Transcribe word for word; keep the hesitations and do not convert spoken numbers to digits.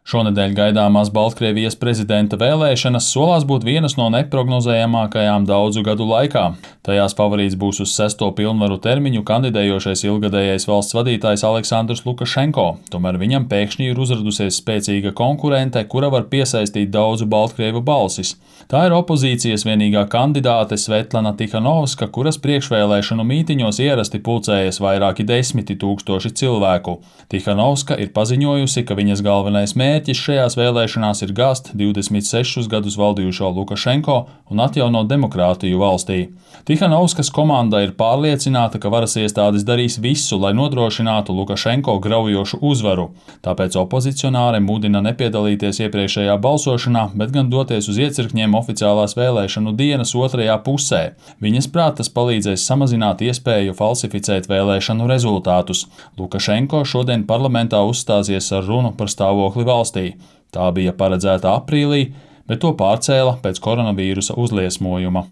Šonedēļ gaidāmās Baltkrievijas prezidenta vēlēšanas solās būt vienas no neprognozējamākajām daudzu gadu laikā. Tajās favorīts būs uz sesto pilnvaru termiņu kandidējošais ilgadējais valsts vadītājs Aleksandrs Lukašenko, tomēr viņam pēkšņi ir uzradusies spēcīga konkurente, kura var piesaistīt daudzu baltkrievu balsis. Tā ir opozīcijas vienīgā kandidāte Svetlana Tikhanovska, kuras priekšvēlēšanu mītiņos ierasti pulcējas vairāki desmiti tūkstoši cilvēku. Tikhanovska ir paziņojusi, ka viņas galvenais mērķis Mērķis šajās vēlēšanās ir gāzt divdesmit sešus gadus valdījušo Lukašenko un atjaunot demokrātiju valstī. Tikhanovskas komanda ir pārliecināta, ka varas iestādes darīs visu, lai nodrošinātu Lukašenko graujošu uzvaru. Tāpēc opozicionāri mudina nepiedalīties iepriekšējā balsošanā, bet gan doties uz iecirkņiem oficiālās vēlēšanu dienas otrajā pusē. Viņas prāt tas palīdzēs samazināt iespēju falsificēt vēlēšanu rezultātus. Lukašenko šodien parlamentā uzstāsies ar runu par stāvokli valstī. Tā bija paredzēta aprīlī, bet to pārcēla pēc koronavīrusa uzliesmojuma.